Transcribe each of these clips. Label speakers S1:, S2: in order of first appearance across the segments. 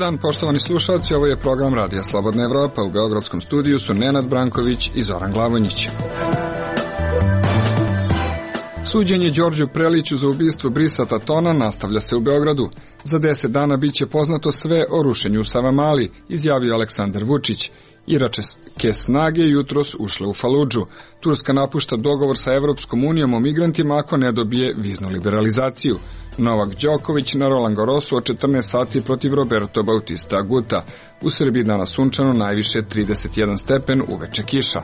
S1: dan, poštovani slušalci, ovo je program Radija Slobodna Evropa. U beogradskom studiju su Nenad Branković i Zoran Glavonjić. Suđenje Đorđu Preliću za ubistvo Brisa Tatona nastavlja se u Beogradu. Za 10 dana biće poznato sve o rušenju u Savamali, izjavio Aleksandar Vučić. Iračke snage jutros ušle u Faludžu. Turska napušta dogovor sa Evropskom unijom o migrantima ako ne dobije viznu liberalizaciju. Novak Đoković na Roland Garrosu od 14 sati protiv Roberto Bautista Aguta. U Srbiji danas sunčano, najviše 31 stepen, uveče kiša.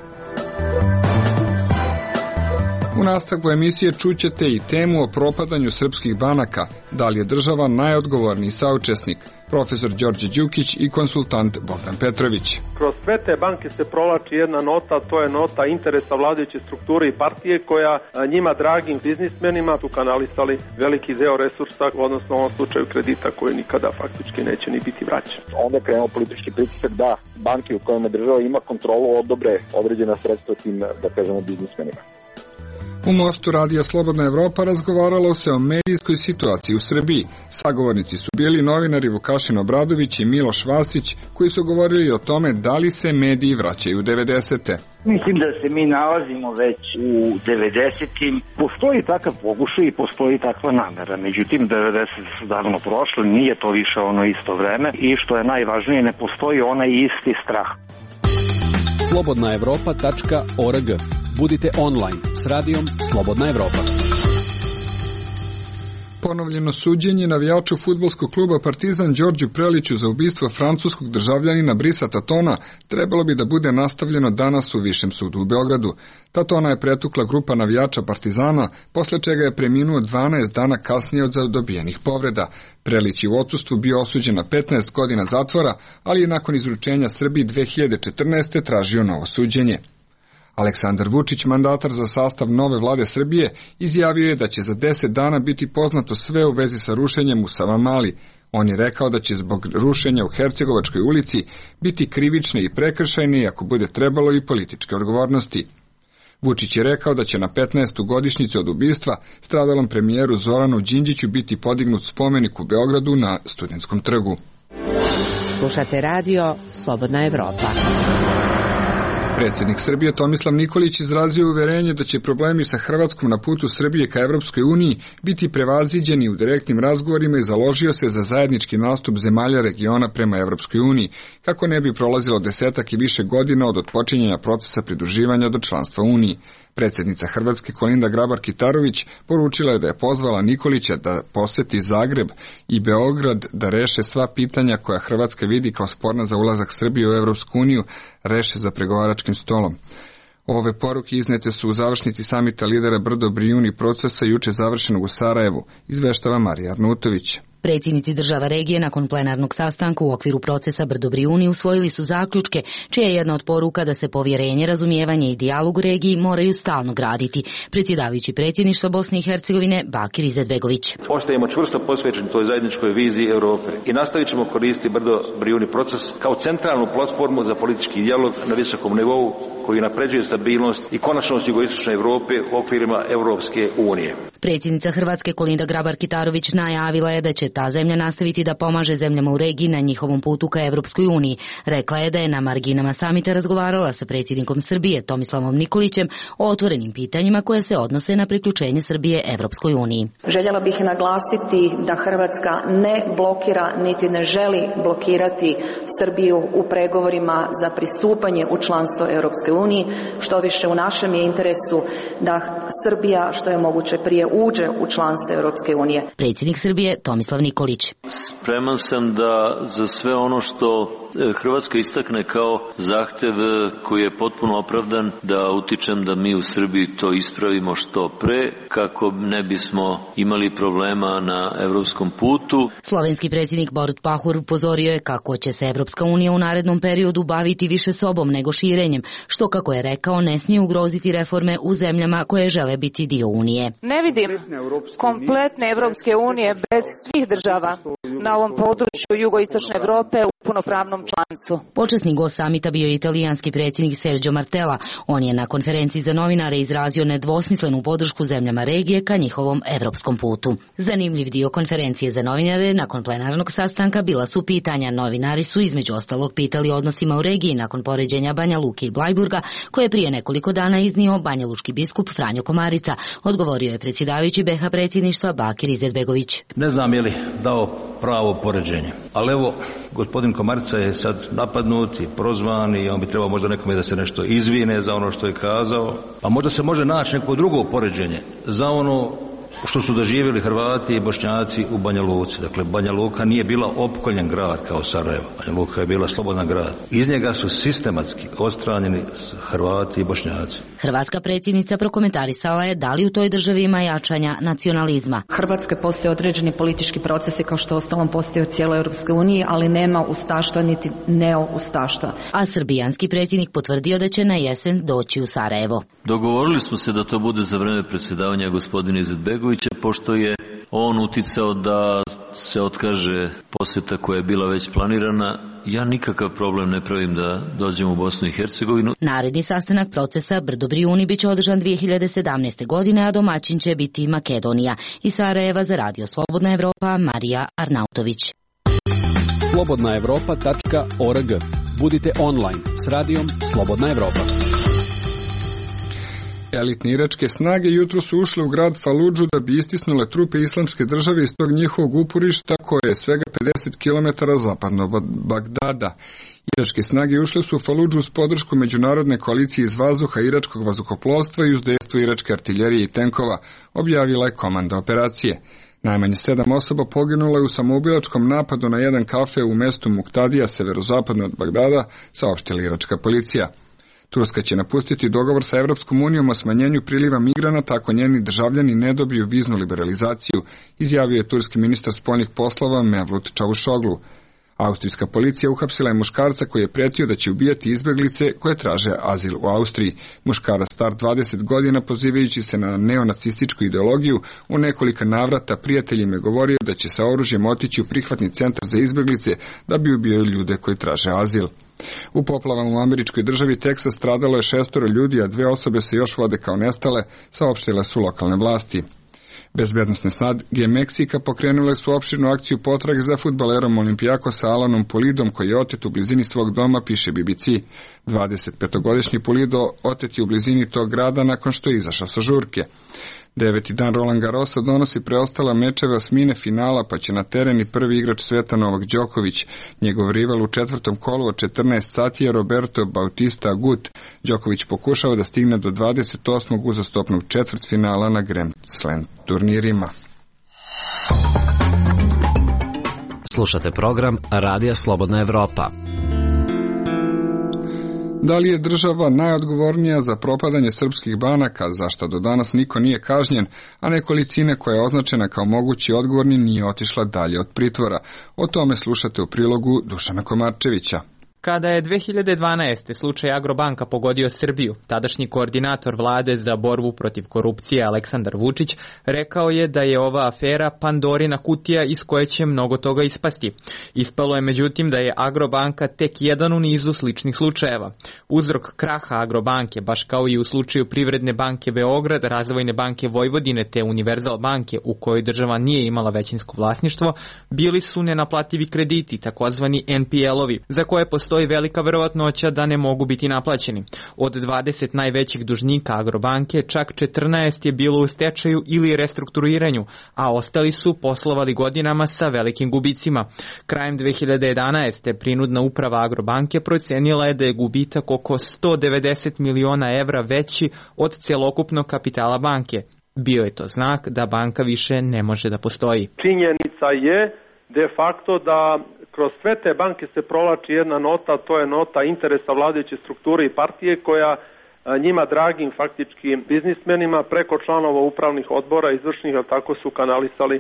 S1: U nastavku emisije čućete i temu o propadanju srpskih banaka, da li je država najodgovorniji saučesnik, profesor Đorđe Đukić i konsultant Bogdan Petrović.
S2: Kroz sve te banke se provlači jedna nota, to je nota interesa vladajuće strukture i partije koja njima dragim biznismenima su kanalisali veliki deo resursa, odnosno u ovom slučaju kredita koji nikada faktički neće ni biti vraćen.
S3: Onda je krenuo politički pritisak da banke u kojima država ima kontrolu odobre određena sredstva tim, da kažemo, biznismenima.
S1: U Mostu Radija Slobodna Evropa razgovaralo se o medijskoj situaciji u Srbiji. Sagovornici su bili novinari Vukašin Obradović i Miloš Vasić, koji su govorili o tome da li se mediji vraćaju u 90-te.
S4: Mislim da se mi nalazimo već u 90-im. Postoji takav pokušaj i postoji takva namera. Međutim, 90 su davno prošle, nije to više ono isto vreme i što je najvažnije, ne postoji onaj isti strah.
S5: slobodnaevropa.org. Budite online s radijom Slobodna Evropa.
S1: Ponovljeno suđenje navijaču fudbalskog kluba Partizan Đorđu Preliću za ubistvo francuskog državljanina Brisa Tatona trebalo bi da bude nastavljeno danas u Višem sudu u Beogradu. Tatona je pretukla grupa navijača Partizana, posle čega je preminuo 12 dana kasnije od dobijenih povreda. Prelić je u odsustvu bio osuđen na 15 godina zatvora, ali je nakon izručenja Srbiji 2014. tražio novo suđenje. Aleksandar Vučić, mandatar za sastav nove vlade Srbije, izjavio je da će za 10 dana biti poznato sve u vezi sa rušenjem u Savamali. On je rekao da će zbog rušenja u Hercegovačkoj ulici biti krivične i prekršajne i ako bude trebalo i političke odgovornosti. Vučić je rekao da će na 15. godišnjicu od ubistva stradalom premijeru Zoranu Đinđiću biti podignut spomenik u Beogradu na Studentskom trgu.
S6: Slušate radio Slobodna Evropa.
S1: Predsjednik Srbije Tomislav Nikolić izrazio uverenje da će problemi sa Hrvatskom na putu Srbije ka Evropskoj uniji biti prevaziđeni u direktnim razgovorima i založio se za zajednički nastup zemalja regiona prema Evropskoj uniji, kako ne bi prolazilo 10 i više godina od otpočinjanja procesa pridruživanja do članstva Uniji. Predsjednica Hrvatske Kolinda Grabar-Kitarović poručila je da je pozvala Nikolića da poseti Zagreb i Beograd da reše sva pitanja koja Hrvatska vidi kao sporna za ulazak Srbije u Evropsku uniju, reše za pregovaračkim stolom. Ove poruke iznete su u završnici samita lidera Brdo-Brijuni procesa juče završenog u Sarajevu, izveštava Marija Arnautović.
S7: Predsjednici država regije nakon plenarnog sastanka u okviru procesa Brdo-Brijuni usvojili su zaključke, čija je jedna od poruka da se povjerenje, razumijevanje i dijalog u regiji moraju stalno graditi. Predsjedavajući predsjedništva Bosne i Hercegovine Bakir Izetbegović.
S8: Ostajemo čvrsto posvećeni toj zajedničkoj viziji Europe i nastavit ćemo koristiti Brdo-Brijuni proces kao centralnu platformu za politički dijalog na visokom nivou koji napređuje stabilnost i konačnost jugoistočne Europe u okvirima Europske unije.
S7: Predsjednica Hrvatske Kolinda Grabar-Kitarović najavila je da će ta zemlja nastaviti da pomaže zemljama u regiji na njihovom putu ka Evropskoj uniji. Rekla je da je na marginama samita razgovarala sa predsjednikom Srbije Tomislavom Nikolićem o otvorenim pitanjima koje se odnose na priključenje Srbije Evropskoj uniji.
S9: Željela bih naglasiti da Hrvatska ne blokira niti ne želi blokirati Srbiju u pregovorima za pristupanje u članstvo Evropskoj uniji. Što više, u našem je interesu da Srbija što je moguće prije uđe u članstvo Evropske unije.
S7: Predsjednik Srbije Tomislav Nikolić.
S10: Spreman sam da za sve ono što Hrvatska istakne kao zahtev koji je potpuno opravdan, da utičem da mi u Srbiji to ispravimo što pre, kako ne bismo imali problema na evropskom putu.
S7: Slovenski predsjednik Borut Pahor upozorio je kako će se Evropska unija u narednom periodu baviti više sobom nego širenjem, što, kako je rekao, ne smije ugroziti reforme u zemljama koje žele biti dio Unije.
S11: Ne vidim kompletne Evropske unije bez svih država na ovom području jugoistočne Evrope punopravnom članstvu.
S7: Počasni gost samita bio je italijanski predsjednik Sergio Martella. On je na konferenciji za novinare izrazio nedvosmislenu podršku zemljama regije ka njihovom evropskom putu. Zanimljiv dio konferencije za novinare nakon plenarnog sastanka bila su pitanja. Novinari su između ostalog pitali o odnosima u regiji nakon poređenja Banja Luke i Blajburga, koje je prije nekoliko dana iznio banjalučki biskup Franjo Komarica. Odgovorio je predsjedavajući BiH predsjedništva Bakir Izetbegović.
S8: Ne znam je li dao pravo poređenje, ali evo, gospodin Komarica je sad napadnut i prozvan i on bi trebao možda nekome da se nešto izvine za ono što je kazao, a možda se može naći neko drugo poređenje za ono što su doživjeli Hrvati i Bošnjaci u Banja Luci. Dakle, Banja Luka nije bila opkoljen grad kao Sarajevo. Banja Luka je bila slobodan grad. Iz njega su sistematski odstranjeni Hrvati i Bošnjaci.
S7: Hrvatska predsjednica prokomentarisala je da li u toj državi ima jačanja nacionalizma.
S9: Hrvatske postoje određeni politički procesi kao što ostalom postoje u cijeloj Europskoj uniji, ali nema ustaštva niti neo-ustaštva.
S7: A srbijanski predsjednik potvrdio da će na jesen doći u Sarajevo.
S10: Dogovorili smo se da to bude za vreme predsjedavanja gospodina Izetbegovića, pošto je on uticao da se otkaže posjeta koja je bila već planirana. Ja nikakav problem ne pravim da dođem u Bosnu i Hercegovinu.
S7: Naredni sastanak procesa Brdo-Brijuni biće održan 2017. godine, a domaćin će biti Makedonija. Iz Sarajeva za Radio Slobodna Evropa, Marija Arnautović.
S5: slobodnaevropa.org. Budite online s radijom Slobodna Evropa.
S1: Elitne iračke snage jutro su ušle u grad Faludžu da bi istisnule trupe islamske države iz tog njihovog uporišta koje je svega 50 km zapadno od Bagdada. Iračke snage ušle su u Faludžu uz podršku međunarodne koalicije iz vazduha, iračkog vazduhoplovstva i uz dejstvo iračke artiljerije i tenkova, objavila je komanda operacije. Najmanje 7 osoba poginulo je u samoubilačkom napadu na jedan kafe u mestu Muktadija, severozapadno od Bagdada, saopštila iračka policija. Turska će napustiti dogovor sa Evropskom unijom o smanjenju priliva migranata ako njeni državljani ne dobiju viznu liberalizaciju, izjavio je turski ministar spoljnih poslova Mevlut Čavušoglu. Austrijska policija uhapsila je muškarca koji je pretio da će ubijati izbjeglice koje traže azil u Austriji. Muškarac star 20 godina, pozivajući se na neonacističku ideologiju, u nekoliko navrata prijateljima je govorio da će sa oružjem otići u prihvatni centar za izbjeglice da bi ubijali ljude koji traže azil. U poplavama u američkoj državi Teksas stradalo je 6 ljudi, a 2 osobe se još vode kao nestale, saopštile su lokalne vlasti. Bezbednosne snage Meksika pokrenule su opširnu akciju potrage za fudbalerom Olimpijakosa Alanom Pulidom, koji je otet u blizini svog doma, piše BBC. 25-godišnji Pulido otet je u blizini tog grada nakon što je izašao sa žurke. 9. dan Roland Garrosa donosi preostala mečeva osmine finala, pa će na teren i prvi igrač sveta Novak Đoković. Njegov rival u 4. kolu od 14 sati je Roberto Bautista Agut. Đoković pokušava da stigne do 28. uzastopnog četvrtfinala na Grand Slam turnirima.
S12: Slušate program Radija Slobodna Evropa.
S1: Da li je država najodgovornija za propadanje srpskih banaka, za što do danas niko nije kažnjen, a nekolicina koja je označena kao mogući odgovorni nije otišla dalje od pritvora? O tome slušate u prilogu Dušana Komarčevića.
S13: Kada je 2012. slučaj Agrobanka pogodio Srbiju, tadašnji koordinator vlade za borbu protiv korupcije Aleksandar Vučić rekao je da je ova afera Pandorina kutija iz koje će mnogo toga ispasti. Ispalo je međutim da je Agrobanka tek jedan u nizu sličnih slučajeva. Uzrok kraha Agrobanke, baš kao i u slučaju Privredne banke Beograd, Razvojne banke Vojvodine te Univerzal banke u kojoj država nije imala većinsko vlasništvo, bili su nenaplativi krediti, takozvani NPL-ovi, za koje postoji velika verovatnoća da ne mogu biti naplaćeni. Od 20 najvećih dužnika Agrobanke, čak 14 je bilo u stečaju ili restrukturiranju, a ostali su poslovali godinama sa velikim gubicima. Krajem 2011. prinudna uprava Agrobanke procenila je da je gubitak oko 190 miliona evra veći od celokupnog kapitala banke. Bio je to znak da banka više ne može da postoji.
S2: Činjenica je de facto da kroz sve te banke se provlači jedna nota, to je nota interesa vladajuće strukture i partije koja njima dragim faktički biznismenima preko članova upravnih odbora izvršnih, tako su kanalisali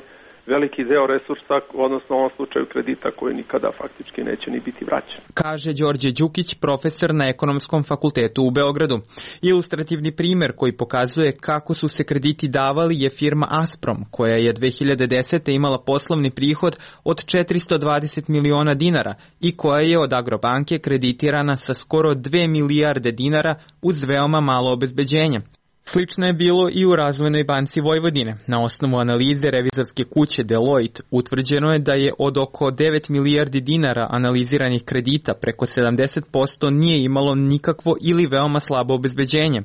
S2: veliki deo resursa, odnosno u ovom slučaju kredita koji nikada faktički neće ni biti vraćen.
S13: Kaže Đorđe Đukić, profesor na Ekonomskom fakultetu u Beogradu. Ilustrativni primer koji pokazuje kako su se krediti davali je firma Asprom, koja je 2010. imala poslovni prihod od 420 miliona dinara i koja je od Agrobanke kreditirana sa skoro 2 milijarde dinara uz veoma malo obezbeđenja. Slično je bilo i u Razvojnoj banci Vojvodine. Na osnovu analize revizorske kuće Deloitte utvrđeno je da je od oko 9 milijardi dinara analiziranih kredita preko 70% nije imalo nikakvo ili veoma slabo obezbeđenje.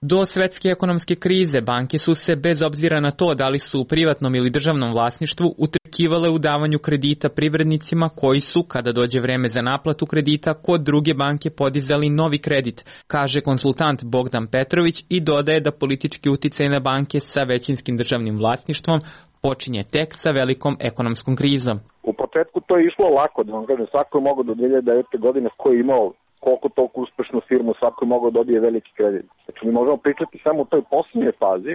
S13: Do svetske ekonomske krize banke su se, bez obzira na to da li su u privatnom ili državnom vlasništvu, utrkivale u davanju kredita privrednicima koji su, kada dođe vreme za naplatu kredita, kod druge banke podizali novi kredit, kaže konsultant Bogdan Petrović i dodaje da politički uticaj na banke sa većinskim državnim vlasništvom počinje tek sa velikom ekonomskom krizom.
S3: U početku to je išlo lako, da vam kažem, svako je mogao do 2009. godine ko je imao koliko toliko uspešnu firmu, svako je mogao dobije veliki kredit. Znači mi možemo pričati samo u toj posljednjoj fazi,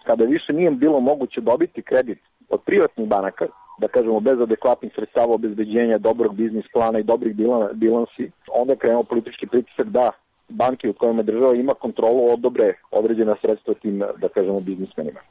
S3: kada više nije bilo moguće dobiti kredit od privatnih banaka, da kažemo bez adekvatnih sredstava obezbeđenja, dobrog biznis plana i dobrih bilansi, onda je krenuo politički pritisak da banke u kojima država ima kontrolu odobre određena sredstva tim, da kažemo, biznismenima.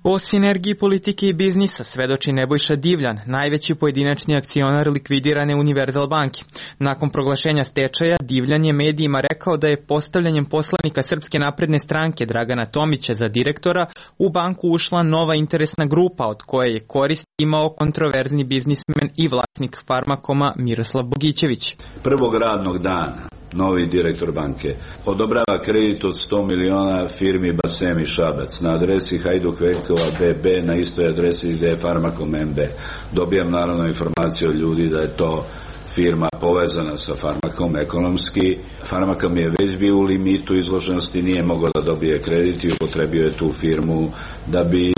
S13: O sinergiji politike i biznisa svedoči Nebojša Divljan, najveći pojedinačni akcionar likvidirane Univerzal banke. Nakon proglašenja stečaja, Divljan je medijima rekao da je postavljanjem poslanika Srpske napredne stranke Dragana Tomića za direktora u banku ušla nova interesna grupa od koje je korist imao kontroverzni biznismen i vlasnik Farmakoma Miroslav Bogićević.
S11: Prvog radnog dana novi direktor banke odobrava kredit od 100 miliona firmi Basem i Šabac na adresi Hajduk Veljkova BB, na istoj adresi gde je Farmakom MB. Dobijam naravno informaciju od ljudi da je to firma povezana sa Farmakom ekonomski. Farmakom je već bio u limitu izloženosti, nije mogao da dobije kredit i upotrebio je tu firmu da bi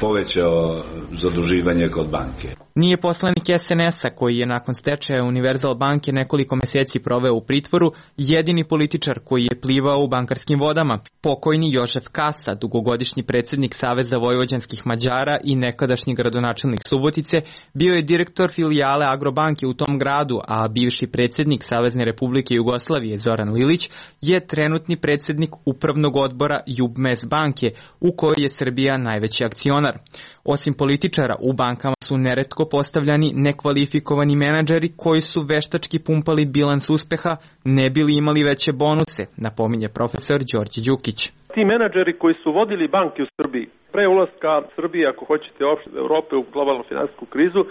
S11: povećao zaduživanje kod banke.
S13: Nije poslanik SNS-a, koji je nakon stečaja Univerzal banke nekoliko meseci proveo u pritvoru, jedini političar koji je plivao u bankarskim vodama. Pokojni Jožef Kasa, dugogodišnji predsjednik Saveza vojvođanskih Mađara i nekadašnji gradonačelnik Subotice, bio je direktor filijale Agrobanke u tom gradu, a bivši predsjednik Savezne Republike Jugoslavije Zoran Lilić je trenutni predsjednik upravnog odbora Jubmes banke, u kojoj je Srbija najveći akcionar. Osim političara, u bankama su neretko postavljani nekvalifikovani menadžeri koji su veštački pumpali bilans uspeha, ne bili imali veće bonuse, napominje profesor Đorđe Đukić.
S2: Ti menadžeri koji su vodili banke u Srbiji, pre ulaska Srbije, ako hoćete, uopšte Evrope u globalnu finansijsku krizu,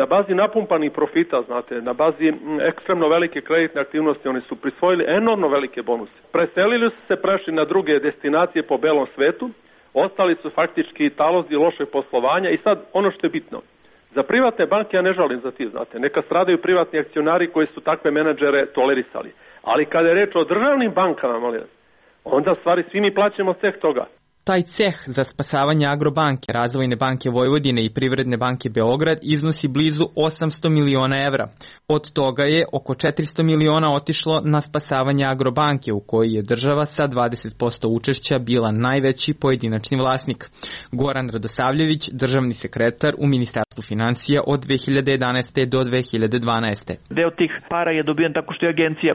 S2: na bazi napumpanih profita, znate, na bazi ekstremno velike kreditne aktivnosti, oni su prisvojili enormno velike bonuse. Preselili su se, prešli na druge destinacije po belom svetu, ostali su faktički talozi lošeg poslovanja i sad ono što je bitno. Za privatne banke ja ne žalim za ti, znate, neka stradaju privatni akcionari koji su takve menadžere tolerisali. Ali kada je reč o državnim bankama, molim vas, onda stvari svi mi plaćamo ceh toga.
S13: Taj ceh za spasavanje Agrobanke, Razvojne banke Vojvodine i Privredne banke Beograd iznosi blizu 800 miliona evra. Od toga je oko 400 miliona otišlo na spasavanje Agrobanke, u kojoj je država sa 20% učešća bila najveći pojedinačni vlasnik. Goran Radosavljević, državni sekretar u Ministarstvu finansija od 2011. do 2012.
S14: Deo tih para je dobijen tako što je agencija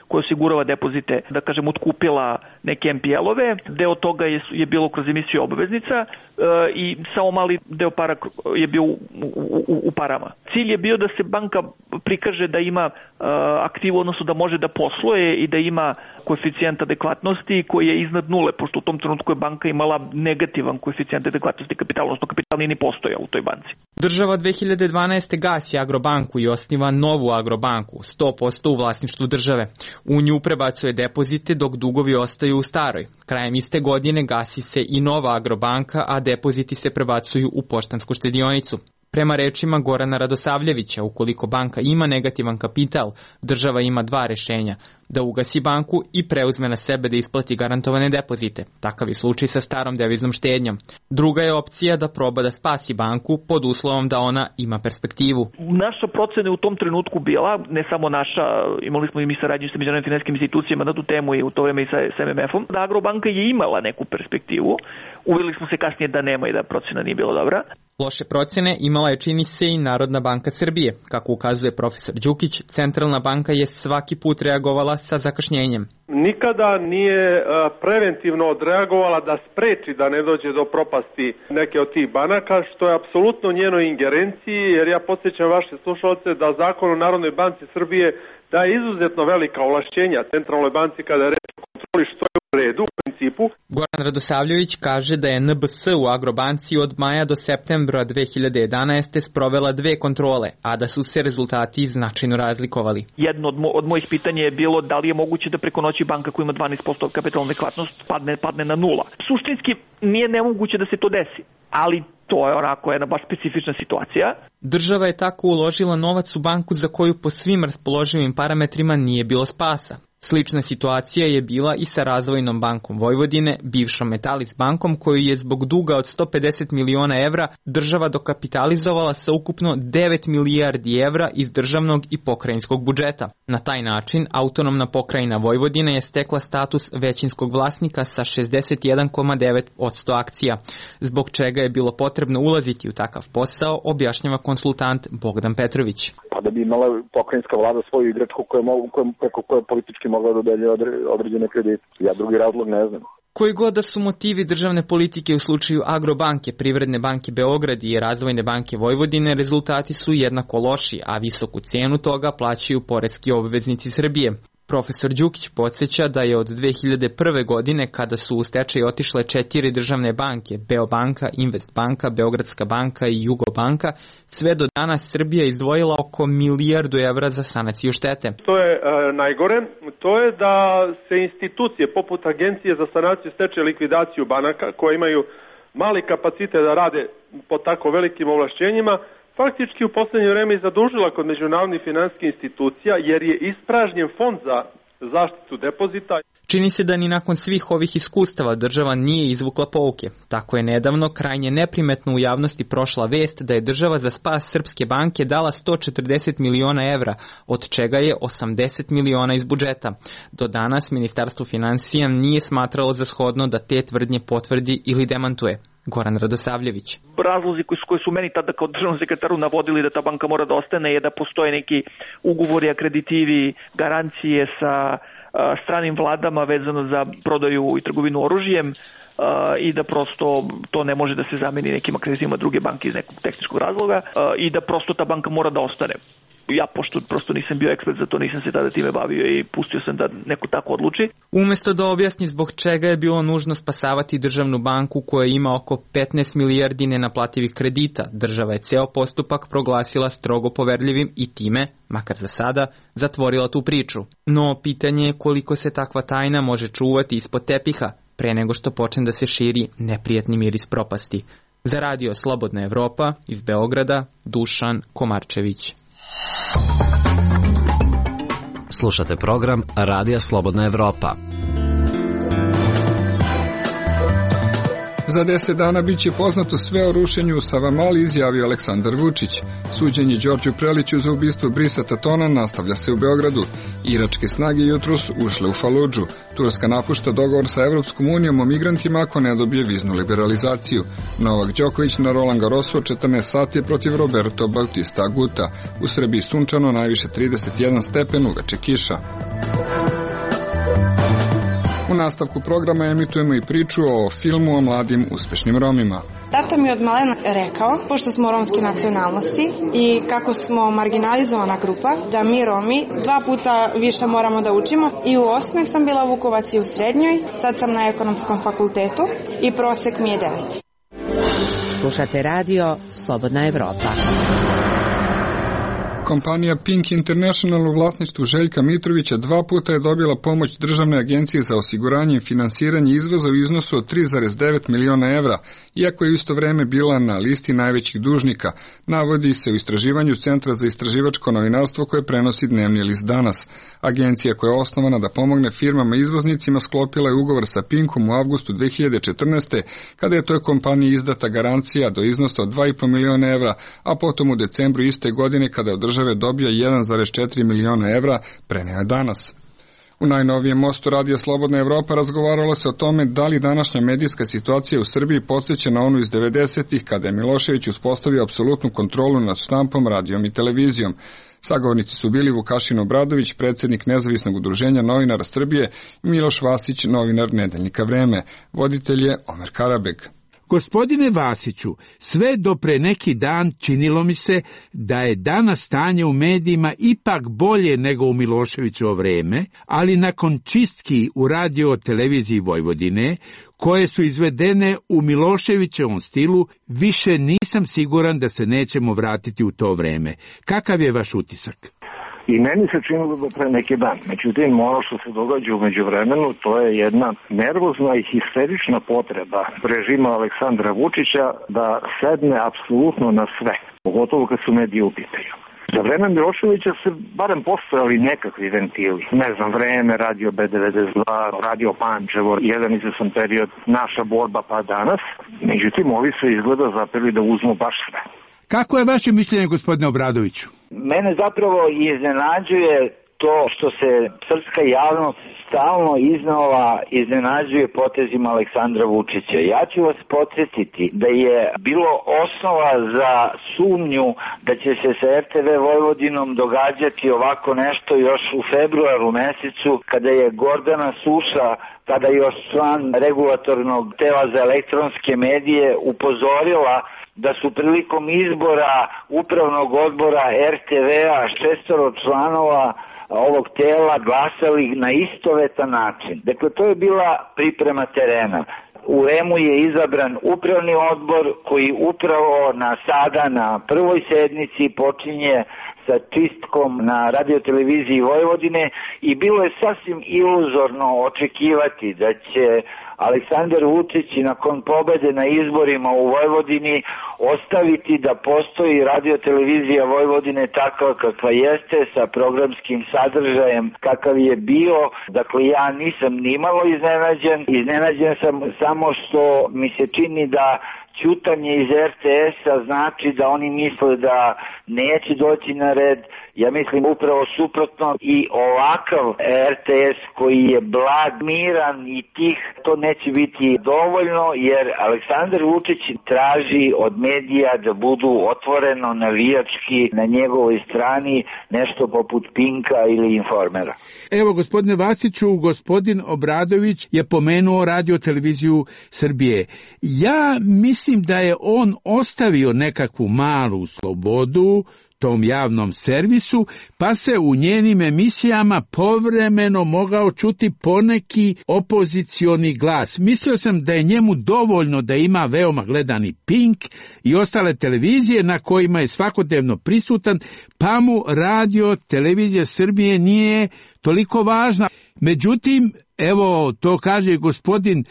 S14: koja osigurava depozite, da kažem, otkupila neke MPL-ove. Deo toga je bilo kroz emisiju obveznica i samo mali deo para je bio u parama. Cilj je bio da se banka prikaže da ima aktivu, odnosno da može da posluje i da ima koeficijent adekvatnosti koji je iznad nule, pošto u tom trenutku je banka imala negativan koeficijent adekvatnosti kapitala, odnosno kapital nije ni postojao u toj banci.
S13: Država 2012. gasi Agrobanku i osniva novu Agrobanku, 100% u vlasništvu države. U nju prebacuje depozite dok dugovi ostaju u staroj. Krajem iste godine gasi se i nova Agrobanka, a depoziti se prebacuju u poštansku štedionicu. Prema rečima Gorana Radosavljevića, ukoliko banka ima negativan kapital, država ima dva rešenja: da ugasi banku i preuzme na sebe da isplati garantovane depozite. Takav je slučaj sa starom deviznom štednjom. Druga je opcija da proba da spasi banku pod uslovom da ona ima perspektivu.
S14: Naša procena je u tom trenutku bila, ne samo naša, imali smo i mi saradnju sa međunarodnim finansijskim institucijama na tu temu i u to vreme i sa MMF-om, da Agrobanka je imala neku perspektivu. Uvjerili smo se kasnije da nema i da procena nije bila dobra.
S13: Loše procene imala je, čini se, i Narodna banka Srbije. Kako ukazuje profesor Đukić, centralna banka je svaki put reagovala sa zakašnjenjem.
S2: Nikada nije preventivno odreagovala da spreči da ne dođe do propasti neke od tih banaka, što je apsolutno njenoj ingerenciji, jer ja podsjećam vaše slušalce da Zakon o Narodnoj banci Srbije daje izuzetno velika ovlašćenja centralnoj banci kada je reč o kontroli, što je u redu u principu.
S13: Goran Radosavljević kaže da je NBS u Agrobanci od maja do septembra 2011. sprovela 2 kontrole, a da su se rezultati značajno razlikovali.
S14: Jedno od mojih pitanja je bilo da li je moguće da preko noći banka koja ima 12% kapitalna adekvatnost padne na 0. Suštinski nije nemoguće da se to desi, ali to je onako jedna baš specifična situacija.
S13: Država je tako uložila novac u banku za koju po svim raspoloživim parametrima nije bilo spasa. Slična situacija je bila i sa Razvojnom bankom Vojvodine, bivšom Metalis bankom, koju je zbog duga od 150 miliona evra država dokapitalizovala sa ukupno 9 milijardi evra iz državnog i pokrajinskog budžeta. Na taj način, autonomna pokrajina Vojvodina je stekla status većinskog vlasnika sa 61,9% akcija, zbog čega je bilo potrebno ulaziti u takav posao, objašnjava konsultant Bogdan Petrović.
S3: Pa da bi imala pokrajinska vlada svoju igračku preko koje politički mogla da dodelje određene kredite. Ja drugi razlog ne znam.
S13: Koji god da su motivi državne politike u slučaju Agrobanke, Privredne banke Beograd i Razvojne banke Vojvodine, rezultati su jednako loši, a visoku cenu toga plaćaju poreski obveznici Srbije. Profesor Đukić podsjeća da je od 2001. godine, kada su u stečaj otišle 4 državne banke, Beobanka, Investbanka, Beogradska banka i Jugobanka, sve do danas Srbija izdvojila oko $1 milijardu za sanaciju štete.
S2: To je najgore, to je da se institucije poput Agencije za sanaciju, stečaj i likvidaciju banaka, koje imaju mali kapacitet da rade po tako velikim ovlašćenjima, faktički u poslednje vreme i zadužila kod međunarodnih finansijskih institucija, jer je ispražnjen fond za zaštitu depozita.
S13: Čini se da ni nakon svih ovih iskustava država nije izvukla pouke. Tako je nedavno krajnje neprimetno u javnosti prošla vest da je država za spas Srpske banke dala 140 miliona evra, od čega je 80 miliona iz budžeta. Do danas Ministarstvo finansija nije smatralo za shodno da te tvrdnje potvrdi ili demantuje. Goran Radosavljević.
S14: Razlozi koji su meni tada kao državnom sekretaru navodili da ta banka mora da ostane je da postoje neki ugovori, akreditivi, garancije sa stranim vladama vezano za prodaju i trgovinu oružjem i da prosto to ne može da se zameni nekim akreditivima druge banke iz nekog tehničkog razloga i da prosto ta banka mora da ostane. Ja, pošto prosto nisam bio ekspert za to, nisam se tada time bavio i pustio sam da neko tako odluči.
S13: Umesto da objasni zbog čega je bilo nužno spasavati državnu banku koja ima oko 15 milijardi nenaplativih kredita, država je ceo postupak proglasila strogo poverljivim i time, makar za sada, zatvorila tu priču. No, pitanje je koliko se takva tajna može čuvati ispod tepiha, pre nego što počne da se širi neprijatni miris propasti. Za radio Slobodna Evropa, iz Beograda, Dušan Komarčević.
S12: Slušate program Radija Slobodna Evropa.
S1: Za 10 dana bit će poznato sve o rušenju u Savamali, izjavio Aleksandar Vučić. Suđenje Đorđu Preliću za ubistvo Brisa Tatona nastavlja se u Beogradu. Iračke snage jutros ušle u Faludžu. Turska napušta dogovor sa Evropskom unijom o migrantima ako ne dobije viznu liberalizaciju. Novak Đoković na Roland Garrosu 14 sati protiv Roberto Bautista Aguta. U Srbiji sunčano, najviše 31 stepen, uveče kiša. U nastavku programa emitujemo i priču o filmu o mladim uspešnim Romima.
S15: Tata mi je od malena rekao, pošto smo romske nacionalnosti i kako smo marginalizovana grupa, da mi Romi 2 puta više moramo da učimo. I u osnovnoj sam bila Vukovac i u srednjoj, sad sam na ekonomskom fakultetu i prosek mi je 9.
S6: Slušate radio Slobodna Evropa.
S1: Kompanija Pink International u vlasništvu Željka Mitrovića 2 puta je dobila pomoć Državne agencije za osiguranje i finansiranje izvoza u iznosu od 3,9 miliona evra, iako je u isto vreme bila na listi najvećih dužnika, navodi se u istraživanju Centra za istraživačko novinarstvo koje prenosi dnevni list Danas. Agencija koja je osnovana da pomogne firmama izvoznicima sklopila je ugovor sa Pinkom u avgustu 2014. kada je toj kompaniji izdata garancija do iznosa od 2,5 miliona evra, a potom u decembru iste godine kada je od države dobija 1,4 miliona evra, preneo je Danas. U najnovijem mostu Radija Slobodna Evropa razgovaralo se o tome da li današnja medijska situacija u Srbiji podsjeća na onu iz 90-ih kada je Milošević uspostavio apsolutnu kontrolu nad štampom, radijom i televizijom. Sagovornici su bili Vukašin Obradović, predsjednik Nezavisnog udruženja novinara Srbije, i Miloš Vasić, novinar Nedeljnika Vreme. Voditelj je Omer Karabeg.
S16: Gospodine Vasiću, sve do pre neki dan činilo mi se da je danas stanje u medijima ipak bolje nego u Miloševićevo vreme, ali nakon čistki u radio televiziji Vojvodine, koje su izvedene u Miloševićevom stilu, više nisam siguran da se nećemo vratiti u to vreme. Kakav je vaš utisak?
S4: I meni se činilo da pre neki dan. Međutim, ono što se događa u međuvremenu, to je jedna nervozna i histerična potreba režima Aleksandra Vučića da sedne apsolutno na sve, pogotovo kad su mediji u pitanju. Za vreme Miloševića se barem postojali nekakvi ventili. Ne znam, Vreme, Radio B92, Radio Pančevo, jedan izvesan period, Naša borba pa danas. Međutim, ovi se izgleda zapeli da uzmu baš sve.
S16: Kako je vaše mišljenje, gospodine Obradoviću?
S17: Mene zapravo iznenađuje to što se srpska javnost stalno iznova iznenađuje potezima Aleksandra Vučića. Ja ću vas podsjetiti da je bilo osnova za sumnju da će se sa RTV Vojvodinom događati ovako nešto još u februaru mesecu, kada je Gordana Suša, tada još član regulatornog tela za elektronske medije, upozorila da su prilikom izbora upravnog odbora RTV-a 6 članova ovog tela glasali na istovetan način. Dakle, to je bila priprema terena. U REM-u je izabran upravni odbor koji upravo na prvoj sednici počinje sa čistkom na radioteleviziji Vojvodine i bilo je sasvim iluzorno očekivati da će Aleksandar Vučić nakon pobede na izborima u Vojvodini ostaviti da postoji radiotelevizija Vojvodine takva kakva jeste, sa programskim sadržajem kakav je bio. Dakle, ja nisam nimalo iznenađen. Iznenađen sam samo što mi se čini da ćutanje iz RTS-a znači da oni misle da neće doći na red. Ja mislim upravo suprotno, i ovakav RTS koji je blag, miran i tih, to neće biti dovoljno, jer Aleksandar Vučić traži od medija da budu otvoreno navijački na njegovoj strani, nešto poput Pinka ili Informera.
S16: Evo, gospodine Vasiću, gospodin Obradović je pomenuo radio televiziju Srbije. Ja mislim da je on ostavio nekakvu malu slobodu tom javnom servisu, pa se u njenim emisijama povremeno mogao čuti poneki opozicioni glas. Mislio sam da je njemu dovoljno da ima veoma gledani Pink i ostale televizije na kojima je svakodnevno prisutan, pa mu radio televizija Srbije nije toliko važna. Međutim, evo, to kaže gospodin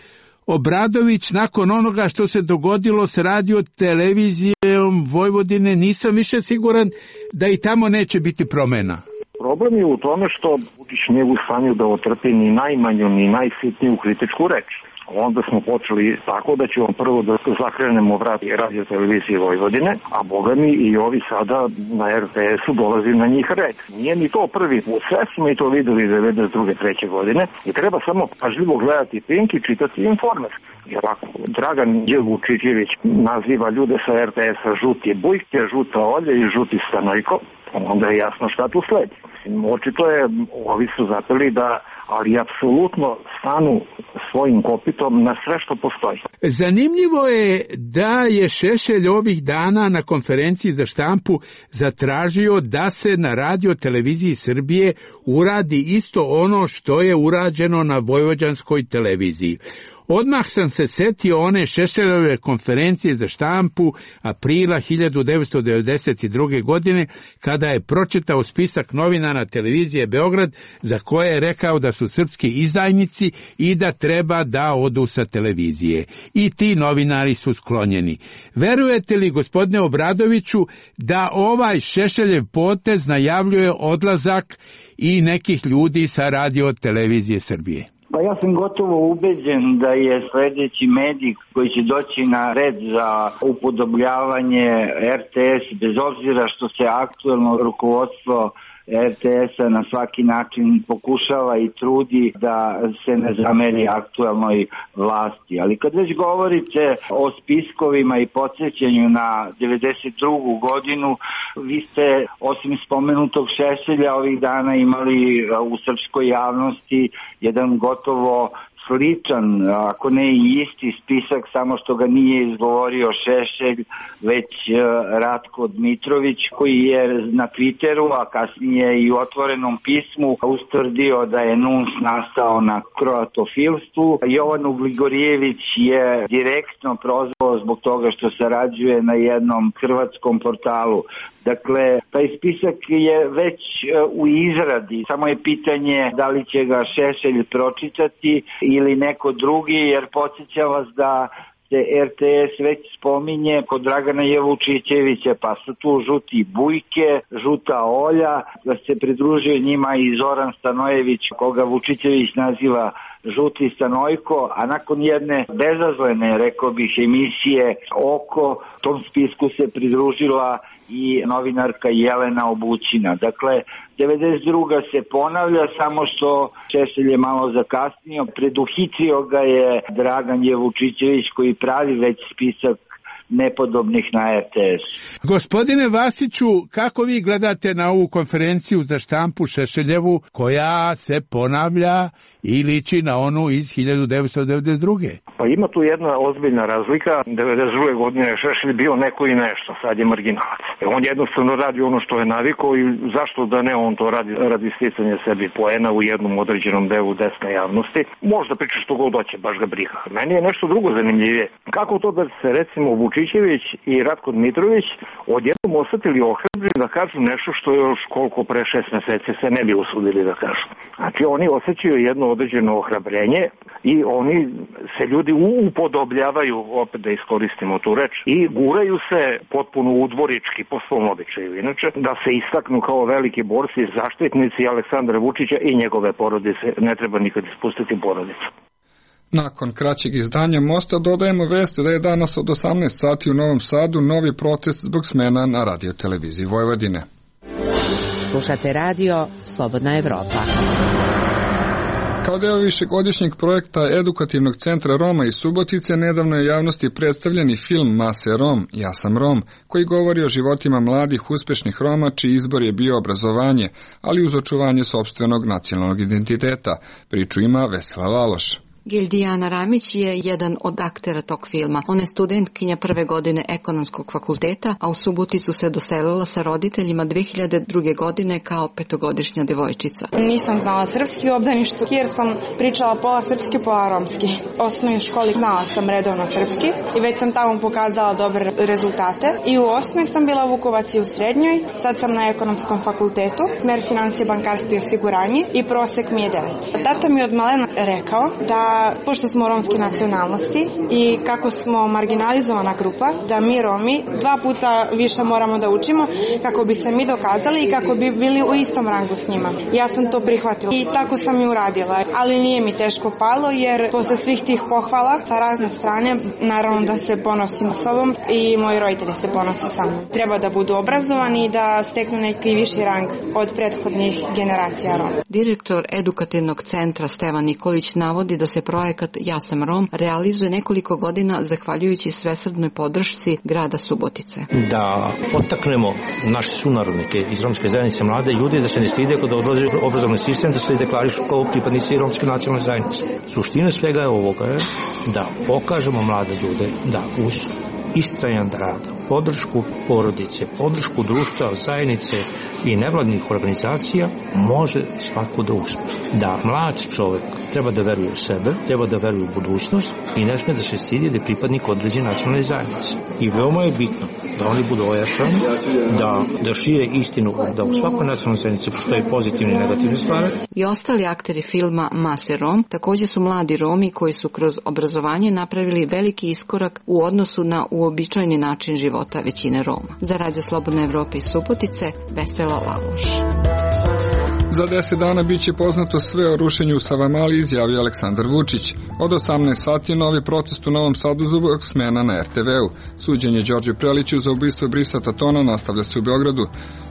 S16: Obradović, nakon onoga što se dogodilo s radiotelevizijom Vojvodine, nisam više siguran da i tamo neće biti promjena.
S4: Problem je u tome što Vučić nije u stanju da otrpi ni najmanju, ni najsitniju kritičku reč. Onda smo počeli tako da ćemo prvo da zakrenemo vrat radio televizije Vojvodine, a boga mi i ovi sada na RTS-u dolazi na njih red. Nije ni to prvi put, sve smo i to videli 92. 3. godine i treba samo pažljivo gledati Pink i čitati Informer. Jer ako Dragan Vučićević naziva ljude sa RTS-a žuti bujke, žuta olja i žuti stanojko, onda je jasno šta tu sledi. Očito je, ovi su zapeli da, ali apsolutno stanu svojim kopitom na sve što postoji.
S16: Zanimljivo je da je Šešelj ovih dana na konferenciji za štampu zatražio da se na radio televiziji Srbije uradi isto ono što je urađeno na vojvođanskoj televiziji. Odmah sam se setio one Šešeljove konferencije za štampu aprila 1992. godine, kada je pročitao spisak novinara televizije Beograd za koje je rekao da su srpski izdajnici i da treba da odu sa televizije. I ti novinari su sklonjeni. Verujete li, gospodine Obradoviću, da ovaj Šešeljev potez najavljuje odlazak i nekih ljudi sa radio televizije Srbije?
S17: Pa ja sam gotovo ubeđen da je sledeći medij koji će doći na red za upodobljavanje RTS, bez obzira što se aktuelno rukovodstvo RTS-a na svaki način pokušava i trudi da se ne zameri aktuelnoj vlasti. Ali kad već govorite o spiskovima i podsjećanju na 92. godinu, vi ste osim spomenutog Šešelja ovih dana imali u srpskoj javnosti jedan gotovo sličan, ako ne i isti spisak, samo što ga nije izgovorio Šešelj, već Ratko Dmitrović, koji je na Twitteru, a kasnije i u otvorenom pismu ustvrdio da je NUNS nastao na kroatofilstvu. Jovan Ugligorijević je direktno prozvao zbog toga što sarađuje na jednom hrvatskom portalu. Dakle, taj spisak je već u izradi, samo je pitanje da li će ga Šešelj pročitati ili neko drugi, jer podsjećam vas da se RTS već spominje kod Dragana Jevučićevića, pa su tu žuti Bujke, žuta Olja, da se pridružio njima i Zoran Stanojević, koga Vučićević naziva žuti Stanojko, a nakon jedne bezazlene, rekao bih, emisije Oko, tom spisku se pridružila i novinarka Jelena Obućina. Dakle, 92. se ponavlja, samo što Šešelj je malo zakasnio. Preduhitrio ga je Dragan Jevučićević koji pravi već spisak nepodobnih na RTS.
S16: Gospodine Vasiću, kako vi gledate na ovu konferenciju za štampu Šešeljevu koja se ponavlja i liči na onu iz 1992.
S18: Pa ima tu jedna ozbiljna razlika. 92. godine je Šešelj bio neko i nešto, sad je marginalac. On jednostavno radi ono što je navikao i zašto da ne on to radi sticanja sebi poena u jednom određenom delu desne javnosti. Možda priča što god hoće, baš ga briga. Meni je nešto drugo zanimljivije. Kako to da se recimo Vučićević i Ratko Dmitrović odjednom osetili ohrabri da kažu nešto što još koliko pre 6 meseci se ne bi usudili da kažu. Znači oni osjećaju jedno određeno ohrabrenje i oni se ljudi upodobljavaju, opet da iskoristimo tu reč, i guraju se potpuno udvorički po svom običaju. Inače, da se istaknu kao veliki borci, zaštitnici Aleksandra Vučića i njegove porodice. Ne treba nikad ispustiti porodicu.
S1: Nakon kraćeg izdanja Mosta dodajemo vest da je danas od 18 sati u Novom Sadu novi protest zbog smena na radioteleviziji Vojvodine.
S6: Slušate radio Slobodna Evropa.
S1: Kao deo višegodišnjeg projekta Edukativnog centra Roma iz Subotice, nedavno je javnosti predstavljen i film Mase Rom, Ja sam Rom, koji govori o životima mladih uspešnih Roma, čiji izbor je bio obrazovanje, ali uz očuvanje sopstvenog nacionalnog identiteta. Priču ima Vesela Laloš.
S19: Gildijana Ramić je jedan od aktera tog filma. Ona je studentkinja prve godine ekonomskog fakulteta, a u Suboticu se doselila sa roditeljima 2002. godine kao 5-godišnja devojčica.
S15: Nisam znala srpski u obdaništu jer sam pričala pola srpski, pola romski. U osnovnoj školi znala sam redovno srpski i već sam tamo pokazala dobre rezultate. I u osnovnoj sam bila Vukovac i u srednjoj. Sad sam na ekonomskom fakultetu, smer financije, bankarstvo i osiguranje i prosek mi je 9. Tata mi je od malena rekao da pošto smo romske nacionalnosti i kako smo marginalizovana grupa, da mi Romi 2 puta više moramo da učimo kako bi se mi dokazali i kako bi bili u istom rangu s njima. Ja sam to prihvatila i tako sam i uradila, ali nije mi teško palo jer posle svih tih pohvala sa razne strane, naravno da se ponosim sobom i moji roditelji se ponose sa mnom. Treba da budu obrazovani i da steknu neki viši rang od prethodnih generacija Roma.
S19: Direktor Edukativnog centra Stevan Nikolić navodi da se projekat Ja sam Rom realizuje nekoliko godina zahvaljujući svesrdnoj podršci grada Subotice.
S20: Da potaknemo naše sunarodnike iz romske zajednice, mlade ljude, da se ne stide kod odlaze u obrazovni sistem, da se deklarišu kao pripadnici romske nacionalne zajednice. Suština svega je ovoga je da pokažemo mlade ljude da uz istrajan rad, podršku porodice, podršku društva, zajednice i nevladnih organizacija može svako da uspe. Da mlad čovjek treba da veruje u sebe, treba da veruje u budućnost i ne sme da se stidi da je pripadnik određene nacionalne zajednice. I veoma je bitno da oni budu ojačani, da šire istinu, da u svakoj nacionalnoj zajednici postoji pozitivne i negativne stvari.
S19: I ostali akteri filma Mase Rom također su mladi Romi koji su kroz obrazovanje napravili veliki iskorak u odnosu na uobičajeni način života većine Roma. Za Radio Slobodna Evropa iz Subotice, Vesela Laloš.
S1: Za 10 dana biće poznato sve o rušenju u Savamali, izjavio Aleksandar Vučić. Od 18 sati novi protest u Novom Sadu zbog smena na RTV-u. Suđenje Đorđu Preliću za ubistvo Brisa Tatona nastavlja se u Beogradu.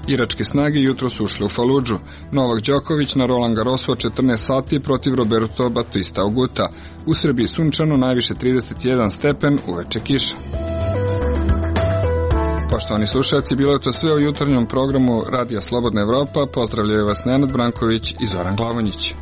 S1: Iračke snage jutro su ušle u Faludžu. Novak Đoković na Roland Garrosu od 14 sati protiv Roberto Batista Oguta. U Srbiji sunčano, najviše 31 stepen, uveče kiša. Poštovani slušalci, bilo je to sve u jutarnjem programu Radija Slobodna Evropa. Pozdravljaju vas Nenad Branković i Zoran Glavonjić.